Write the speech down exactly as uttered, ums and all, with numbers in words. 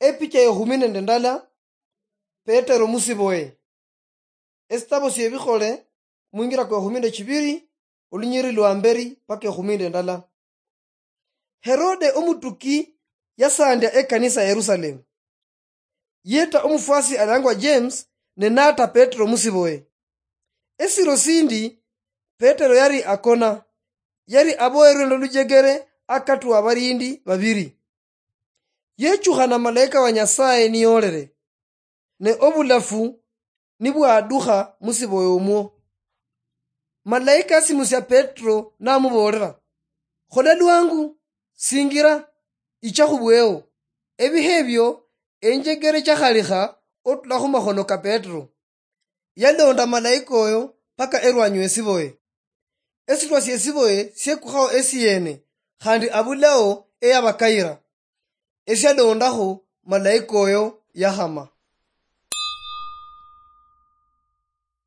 Epicha yekhumi nende ndala, Petero musiboye. Esitabo siebikhole, mwingira kwa ekhumi nende chibiri, olunyiri lwa mberi paka ekhumi nende ndala. Herode omutuki yasandia ekanisa ya Yerusalemu. Yeta omufwasi alangwa James ne nata Petero musiboye. Esiro sindi Petero yari akona, yari aboyerwe nolujegere akatwa abarindi babiri. Yechukhana malaika wa Nyasaye niyolere, ne obulafu nibwadukha musiboye omwo. Malaika asimusia Petero namubolera, "Khola lwangu, singira, icha khubweo." Ebihe ebio enjegere chakhalikha otula khumakhono ka Petero. Yalonda malaika oyo paka erwanyi wesiboye. Esitwa siesiboye siekukhawo esiene, khandi abulao eyabakayira. Esialondakho malaika oyo yakhama.